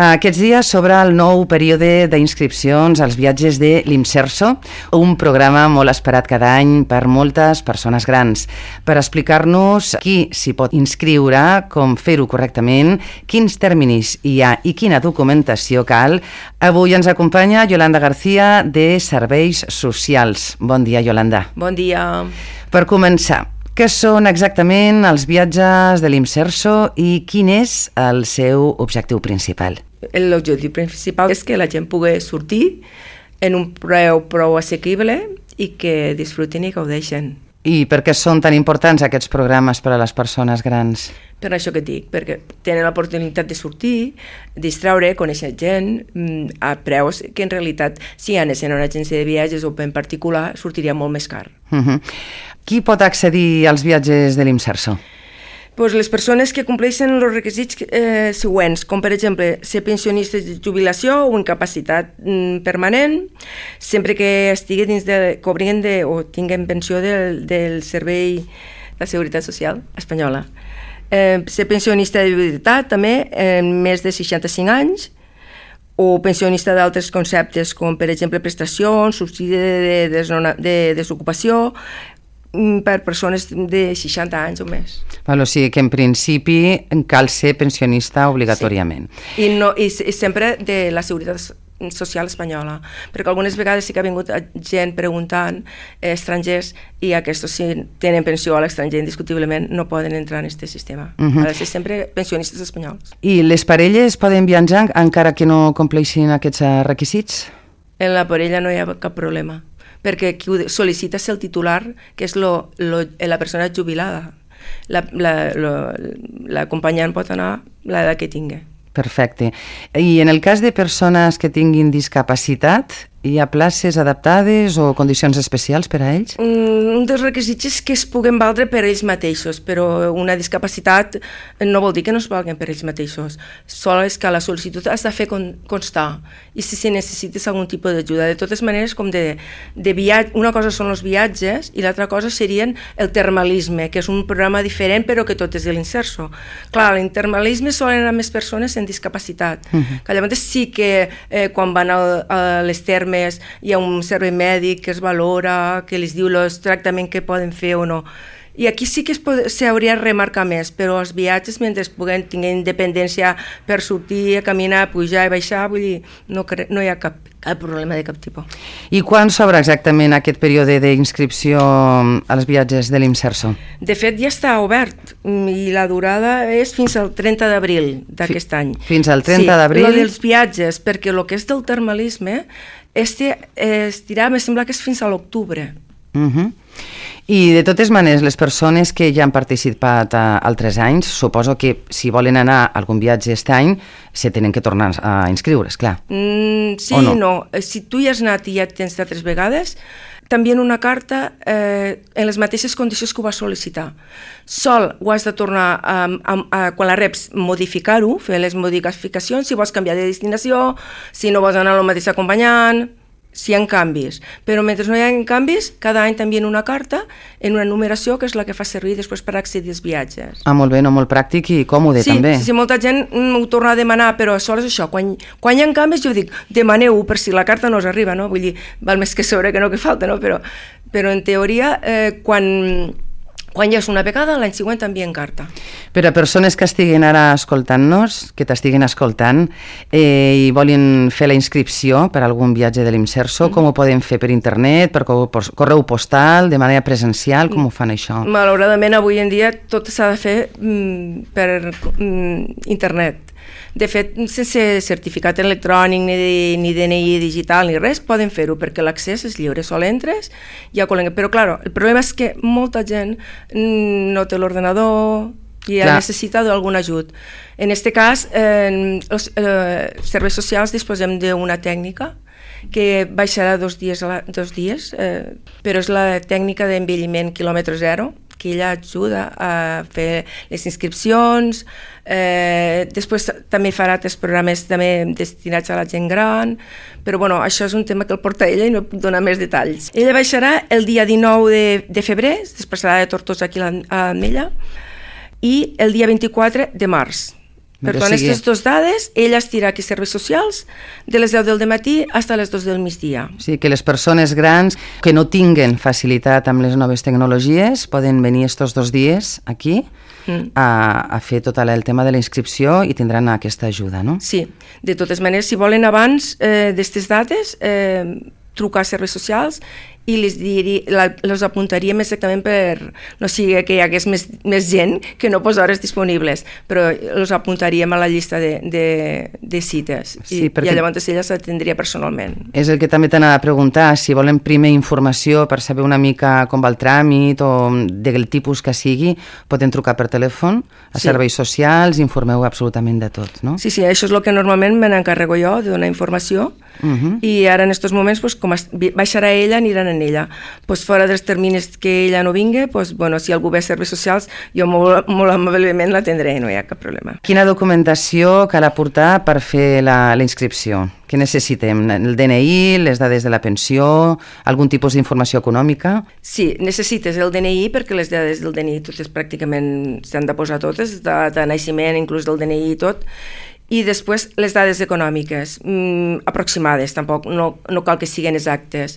Aquests dies s'obre el nou període d'inscripcions als viatges de l'Imserso, un programa molt esperat cada any per moltes persones grans. Per explicar-nos qui s'hi pot inscriure, com fer-ho correctament, quins terminis hi ha i quina documentació cal, avui ens acompanya Yolanda García de Serveis Socials. Bon dia, Yolanda. Bon dia. Per començar, què són exactament els viatges de l'Imserso i quin és el seu objectiu principal? L'objectiu principal és que la gent pugui sortir en un preu prou assequible i que disfrutin i gaudeixen. I per què són tan importants aquests programes per a les persones grans? Per això que et dic, perquè tenen l'oportunitat de sortir, distreure, conèixer gent a preus que en realitat, si anessin a una agència de viatges o en particular, sortiria molt més car. Qui pot accedir als viatges de l'Imserso? Pues les persones que compleixen els requisits següents, com per exemple ser pensionistes de jubilació o incapacitat permanent, sempre que estigui dins cobrien o tinguen pensió del Servei de Seguretat Social espanyola. Ser pensionista de viudetat també, més de 65 anys, o pensionista d'altres conceptes com per exemple prestacions, subsidi de desocupació, per persones de 60 anys o més. O sigui que en principi cal ser pensionista obligatòriament. Sí. I sempre de la Seguretat Social espanyola, perquè algunes vegades sí que ha vingut gent preguntant, estrangers, i aquests si tenen pensió a l'estranger indiscutiblement no poden entrar en aquest sistema. Ha de ser sempre pensionistes espanyols. I les parelles poden viatjar encara que no compleixin aquests requisits? En la parella no hi ha cap problema, perquè qui ho sol·licita és el titular, que és la persona jubilada. L'acompanyant pot anar l'edat que tingui. Perfecte. I en el cas de persones que tinguin discapacitat, hi ha places adaptades o condicions especials per a ells? Un dels requisits és que es puguen valdre per ells mateixos, però una discapacitat no vol dir que no es valguen per ells mateixos. Sol és que la sol·licitud has de fer constar i si necessites algun tipus d'ajuda. De totes maneres, com de viatge, una cosa són els viatges i l'altra cosa serien el termalisme, que és un programa diferent però que tot és de l'Imserso. Clar, l'intermalisme solen anar més persones en discapacitat, que llavors sí que quan van a les termes hi ha un servei mèdic que es valora, que els diu el tractament que poden fer o no. I aquí sí que s'hauria de remarcar més, però els viatges, mentre puguen tenir independència per sortir, caminar, pujar i baixar, vull dir, no hi ha cap problema de cap tipus. I quan s'obre exactament aquest període d'inscripció als viatges de l'Imserso? De fet, ja està obert i la durada és fins al 30 d'abril d'aquest any. Fins al 30 d'abril? Sí, el dels viatges, perquè el que és del termalisme es dirà, me sembla que és fins a l'octubre. I de totes maneres, les persones que ja han participat altres anys, suposo que si volen anar a algun viatge aquest any, se tenen que tornar a inscriure, esclar. Sí i no. Si tu hi has anat i ja tens d'altres vegades, t'envien una carta en les mateixes condicions que ho vas sol·licitar. Sol ho has de tornar, quan la reps, modificar-ho, fer les modificacions, si vols canviar de destinació, si no vols anar al mateix acompanyant, si hi ha canvis. Però mentre no hi ha canvis, cada any t'envien una carta en una numeració que és la que fa servir després per accedir als viatges. Molt bé, molt pràctic i còmode també. Sí, molta gent ho torna a demanar, però sols això, quan hi ha canvis jo dic, demaneu-ho per si la carta no us arriba, no? Vull dir, val més que sobre que no que falta, no? Però en teoria, quan ja és una vegada, l'any següent t'envien carta. Per a persones que estiguin ara escoltant-nos, que t'estiguin escoltant i volen fer la inscripció per a algun viatge de l'Imserso, com ho poden fer per internet, per correu postal, de manera presencial, com ho fan això? Malauradament, avui en dia tot s'ha de fer per internet. De fet, sense certificat electrònic ni DNI digital ni res, poden fer-ho perquè l'accés és lliure, sol entres, ja però clar, el problema és que molta gent no té l'ordenador i necessita d'algun ajut. En aquest cas, els serveis socials disposem d'una tècnica que baixarà 2 dies, però és la tècnica d'envelliment quilòmetre zero, que ella ajuda a fer les inscripcions, després també farà altres programes també destinats a la gent gran, però bueno, això és un tema que el porta ella i no puc donar més detalls. Ella baixarà el dia 19 de febrer, després serà de Tortosa aquí a l'Ametlla, i el dia 24 de març. Per tant, aquestes dues dades, ell estirà aquí serveis socials de les 10 del matí fins a les 2 del migdia. Sí, que les persones grans que no tinguen facilitat amb les noves tecnologies poden venir estos 2 dies aquí a fer tot el tema de la inscripció i tindran aquesta ajuda, no? Sí, de totes maneres, si volen abans d'aquestes dates, trucar a serveis socials i les apuntaríem exactament per no sigui que hi hagués més gent que no posa hores disponibles, però els apuntaríem a la llista de cites i llavors ella s'atendria personalment. És el que també t'anava a preguntar, si volen primer informació per saber una mica com va el tràmit o del tipus que sigui, poden trucar per telèfon a serveis socials, informeu absolutament de tot, no? Sí, això és el que normalment me n'encarrego jo, de donar informació, i ara en aquests moments, com baixarà ella, aniran en ella. Fora dels terminis que ella no vingui, si algú ve a serveis socials, jo molt amablement l'atendré, no hi ha cap problema. Quina documentació cal aportar per fer la inscripció? Què necessitem? El DNI, les dades de la pensió, algun tipus d'informació econòmica? Sí, necessites el DNI perquè les dades del DNI totes pràcticament s'han de posar totes, de naixement, inclús del DNI i tot, i després les dades econòmiques aproximades, tampoc no cal que siguin exactes,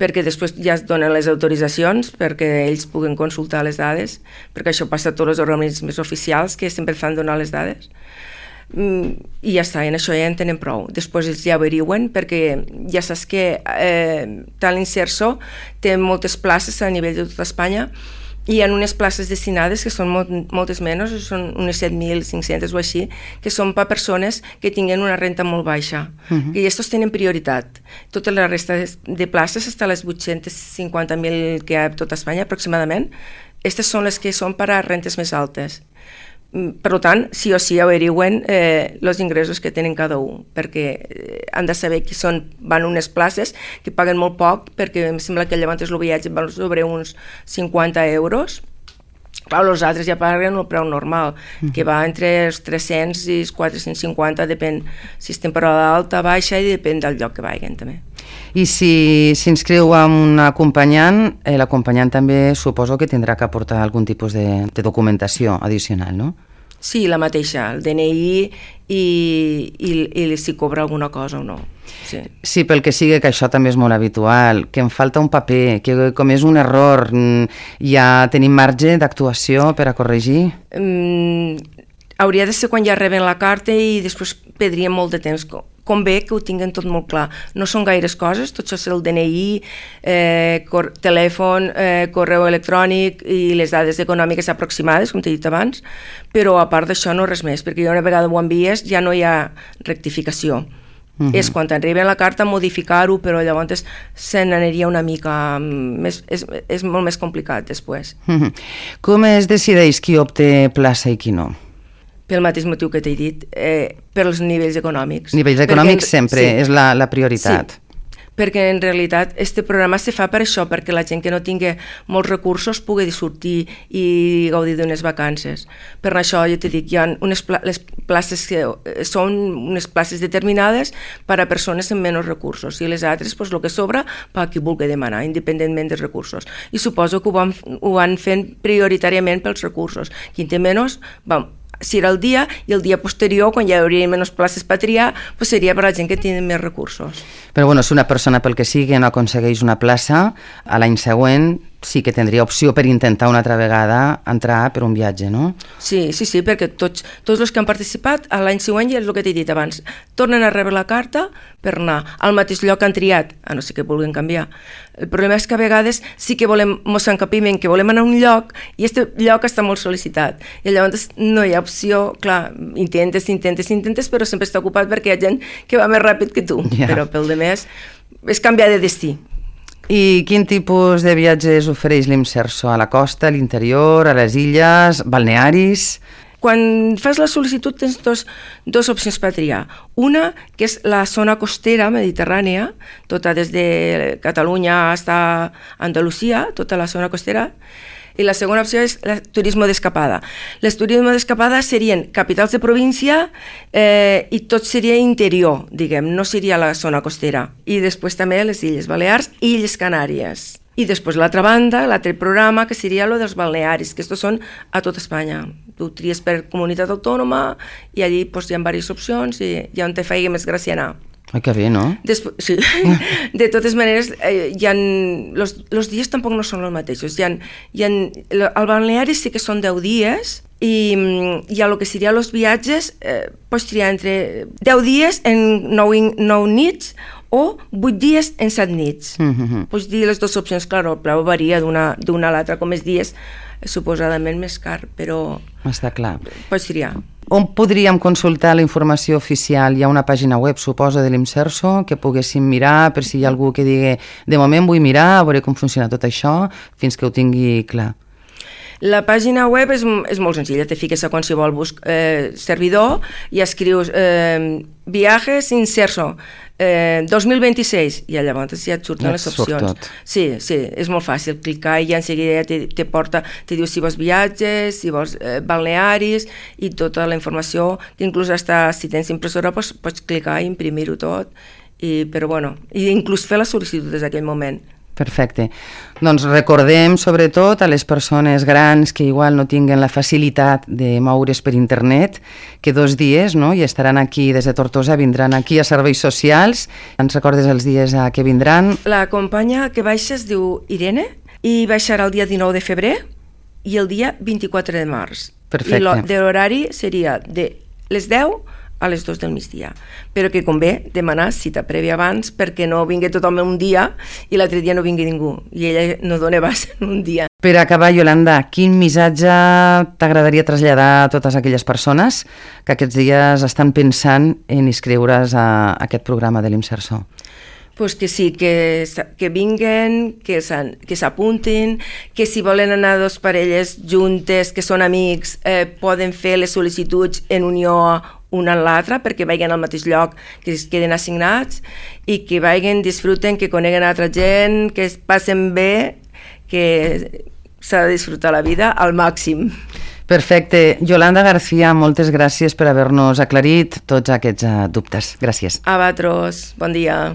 perquè després ja es donen les autoritzacions perquè ells puguen consultar les dades, perquè això passa a tots els organismes oficials que sempre fan donar les dades. I ja està, en això ja en tenen prou. Després ells ja averigüen, perquè ja saps que tant l'Inserso té moltes places a nivell de tota Espanya, i hi ha unes places destinades que són moltes menys, són unes 7.500 o així, que són per persones que tinguen una renta molt baixa, que aquests tenen prioritat. Tota la resta de places, fins a les 850.000 que hi ha a tota Espanya aproximadament, aquestes són les que són per a rentes més altes. Per tant, sí o sí averigüen els ingressos que tenen cada un, perquè han de saber que van unes places que paguen molt poc, perquè em sembla que llavors el viatge val sobre uns 50 euros. Clar, els altres ja paguen el preu normal, que va entre els 300 i els 450, depèn si és temporada alta, baixa, i depèn del lloc que vagin també. I si s'inscriu amb un acompanyant, l'acompanyant també suposo que tindrà que aportar algun tipus de documentació addicional, no? Sí, la mateixa, el DNI i si cobra alguna cosa o no. Sí, pel que sigui, que això també és molt habitual, que em falta un paper, que com és un error, ja tenim marge d'actuació per a corregir? Hauria de ser quan ja reben la carta i després perdria molt de temps. Convé que ho tinguen tot molt clar. No són gaires coses, tot això és el DNI, telèfon, correu electrònic i les dades econòmiques aproximades, com t'he dit abans, però a part d'això no res més, perquè una vegada ho envies ja no hi ha rectificació. És quan t'arriba la carta modificar-ho, però llavors se n'aniria una mica és molt més complicat després. Com es decideix qui obté plaça i qui no? Pel mateix motiu que t'he dit, per als nivells econòmics. Nivells econòmics sempre és la prioritat. Sí, perquè en realitat aquest programa se fa per això, perquè la gent que no tingui molts recursos pugui sortir i gaudir d'unes vacances. Per això jo t'he dit, hi ha les places que són unes places determinades per a persones amb menys recursos i les altres, el que sobra, per a qui vulgui demanar, independentment dels recursos. I suposo que ho van fent prioritàriament pels recursos. Qui en té menys, si era el dia, i el dia posterior, quan ja hi hauria menys places per triar, seria per a la gent que té més recursos. Però si una persona pel que sigui no aconsegueix una plaça, a l'any següent sí que tindria opció per intentar una altra vegada entrar per un viatge, no? Sí, perquè tots els que han participat a l'any següent, ja és el que t'he dit abans, tornen a rebre la carta per anar al mateix lloc que han triat, a no ser que vulguin canviar. El problema és que a vegades sí que mos encapiment que volem anar a un lloc i aquest lloc està molt sol·licitat i llavors no hi ha opció, clar, intentes, però sempre està ocupat perquè hi ha gent que va més ràpid que tu, però pel demés és canviar de destí. I quin tipus de viatges ofereix l'Imserso? A la costa, a l'interior, a les illes, balnearis? Quan fas la sol·licitud tens dos opcions per triar. Una, que és la zona costera mediterrània, tota des de Catalunya fins a Andalusia, tota la zona costera, i la segona opció és el turisme d'escapada. Les turisme d'escapada serien capitals de província i tot seria interior, diguem, no seria la zona costera. I després també les Illes Balears i Illes Canàries. I després l'altra banda, l'altre programa, que seria lo dels balnearis, que estos són a tot Espanya. Tu tries per comunitat autònoma i allí pues, hi ha diverses opcions i hi ha on te faci més gràcia anar. Ai, que bé, no? Sí. De totes maneres, los dies tampoc no són els mateixos. El balneari sí que són 10 dies i a lo que seria els viatges pots triar entre 10 dies en 9 nits o 8 dies en 7 nits. Pots dir les dues opcions, clar, el preu varia d'una a l'altra, com els dies suposadament més car, però està clar. Pots triar. On podríem consultar la informació oficial? Hi ha una pàgina web, suposa, de l'Imserso, que poguéssim mirar per si hi ha algú que digui de moment vull mirar, veure com funciona tot això, fins que ho tingui clar. La pàgina web és molt senzilla, te fiques a qualsevol servidor i escrius Viajes Imserso 2026 i llavors ja et surten les opcions. Sí, és molt fàcil clicar i ja en seguida te porta, te diu si vols viatges, si vols balnearis i tota la informació, que inclús si tens impressora pots clicar i imprimir-ho tot, però bueno, i inclús fer la sol·licitud des d'aquell moment. Perfecte. Doncs recordem sobretot a les persones grans que igual no tinguen la facilitat de moure's per internet que 2 dies, no? I estaran aquí des de Tortosa, vindran aquí a Serveis Socials. Ens recordes els dies a què vindran? La companya que baixa es diu Irene i baixarà el dia 19 de febrer i el dia 24 de març. Perfecte. I l'horari seria de les 10 a les 2 del migdia, però que convé demanar cita prèvia abans perquè no vingui tothom un dia i l'altre dia no vingui ningú i ella no dona base en un dia. Per acabar, Yolanda, quin missatge t'agradaria traslladar a totes aquelles persones que aquests dies estan pensant en inscriure's a aquest programa de l'Imserso? Pues que sí, que vinguen, que s'apuntin, que si volen anar 2 parelles juntes, que són amics, poden fer les sol·licituds en unió una a l'altra perquè vagin al mateix lloc, que es queden assignats i que vagin, disfruten, que coneguen altra gent, que es passen bé, que s'ha de disfrutar la vida al màxim. Perfecte. Yolanda García, moltes gràcies per haver-nos aclarit tots aquests dubtes. Gràcies. A vosaltres. Bon dia.